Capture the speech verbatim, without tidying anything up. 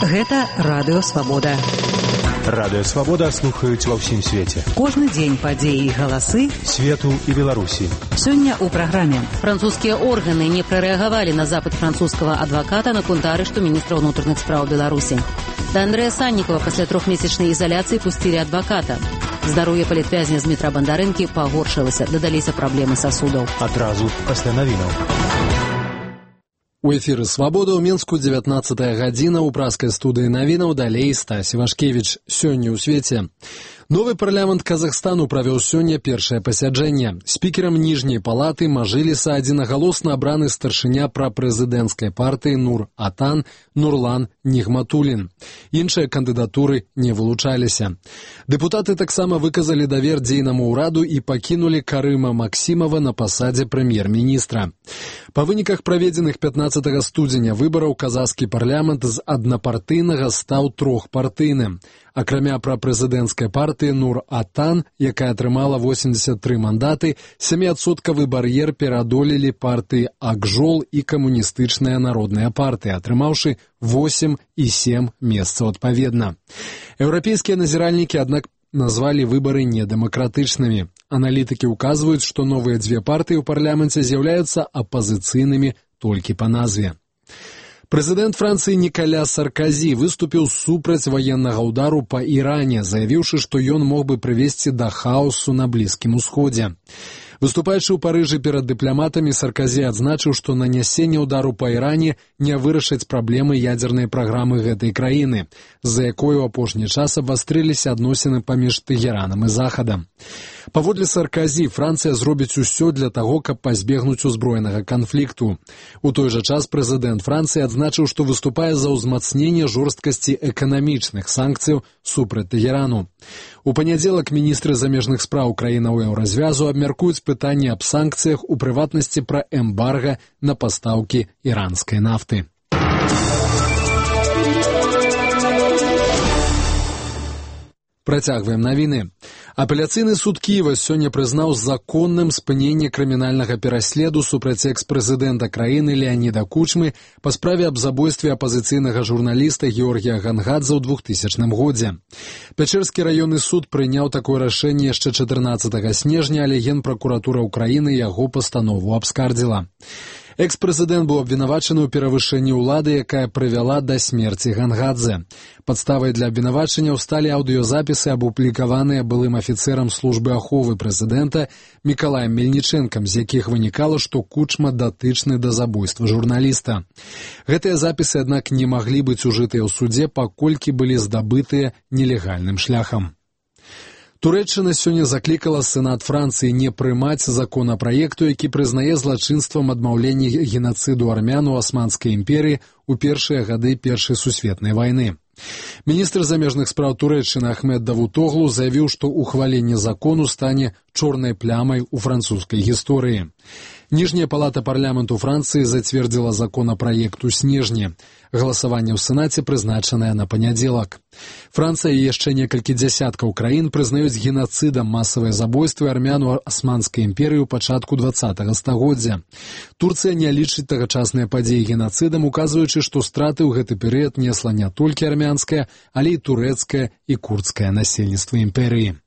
Гэта Радыё Свабода. Радыё Свабода слухаюць ва ўсім свеце. Кожны дзень падзеі і галасы свету і Беларусі. Сёння ў праграме. Французскія органы не прарэагавалі на запыт французскага адваката на кунтарышту міністра ўнутраных спраў Беларусі. Да Андрэя Саннікова пасля трохмесячнай ізаляцыі пусцілі адваката. Здароўе палітвязня з метра Бандарэнкі пагоршылася, дадаліся праблемы сасудаў. Адразу пасля навінаў. У эфіры «Свабода» ў Мінску дзевятнаццатая гадзіна, у праскай студыі навінаў далей Стась Івашкевіч. Сёння ў свеце. Новы парламент Казахстану правёў сёння першае пасяджэнне. Спікерам ніжняй палаты Мажыліса адзінагалосна абраны старшыня прапрэзідэнцкай партыі Нур-Атан Нурлан Нігматуллін. Іншыя кандыдатуры не вылучаліся. Дэпутаты таксама выказалі давер дзейнаму ўраду і пакінулі Карыма Максімова на пасадзе прэм'ер-міністра. Па выніках праведзеных пятнаццатага студзеня выбараў казахскі парламент з аднапартыйнага стаў трохпартыйным. Акрамя прапрэзідэнцкай партыі Нур-Атан, якая атрымала восемьдесят тры мандаты, сяміадсоткавы бар'ер пераадолелі партыі Акжол і камуністычная народная партыя, атрымаўшы восемь і сем месцаў адпаведна. Еўрапейскія назіральнікі, аднак, назвалі выбары недэмакратычнымі. Аналітыкі ўказваюць, што новыя дзве партыі ў парламенце з'яўляюцца апазіцыйнымі толькі па назве. Прэзідэнт Францыі Нікаля Сарказі выступіў супраць ваеннага ўдару па Іране, заявіўшы, што ён мог бы прывесці да хаосу на Блізкім Усходзе. Выступаючы ў Парыжы перад дыпламатамі, Сарказі адзначыў, што нанясенне ўдару па Іране не вырашыць праблемы ядзернай праграмы гэтай краіны, з-за якой у апошні час абвастрыліся адносіны паміж Тэгеранам і Захадам. Паводле Сарказі, Францыя зробіць усё для таго, каб пазбегнуць узброенага канфлікту. У той жа час прэзідэнт Францыі адзначыў, што выступае за ўзмацненне жорсткасці эканамічных санкцыяў супраць Тэгерану. У панядзелак міністры замежных спраў краінаў еўразвязу абмяркуюць пытанне аб санкцыях, у прыватнасці пра эмбарга на пастаўкі іранскай нафты. Працягваем навіны. Апеляцыйны суд Кіева сёння прызнаў законным спыненне крымінальнага пераследу супраць экс-прэзідэнта краіны Леаніда Кучмы па справе аб забойстве апазіцыйнага журналіста Георгія Гангадзе ў двухтысячным годзе. Пячэрскі раённы суд прыняў такое рашэнне яшчэ чатырнаццатага снежня, але Генпракуратура ўкраіны яго пастанову абскардзіла. Экс-прэзідэнт быў абвінавачаны ў перавышэнні ўлады, якая прывяла да смерці Гангадзе. Падставай для абвінавачанняў сталі аўдыёзапісы, апублікаваныя былым афіцэрам службы аховы прэзідэнта Мікалаем Мельнічэнкам, з якіх вынікала, што Кучма датычны да забойства журналіста. Гэтыя запісы, аднак, не маглі быць ужытыя ў судзе, паколькі былі здабытыя нелегальным шляхам. Турэччына сёння заклікала Сенат Францыі не прымаць законапраекту, які прызнае злачынствам адмаўленне генацыду армян у Асманскай імперыі ў першыя гады Першай сусветнай вайны. Міністр замежных спраў Турэччыны Ахмед Давутоглу заявіў, што ухваленне закону стане чорнай плямай у французскай гісторыі. Ніжняя палата парламенту Францыі зацвердзіла законапраект у снежні. Галасаванне ў Сенаце прызначанае на панядзелак. Францыя і яшчэ некалькі дзясяткаў краін прызнаюць генацыдам масавыя забойствы армян у Асманскай імперыі ў пачатку дваццатага стагоддзя. Турцыя не лічыць тагачасныя падзеі генацыдам, указваючы, што страты ў гэты перыяд несла не толькі армянскае, але і турэцкае і курдскае насельніцтва імперыі.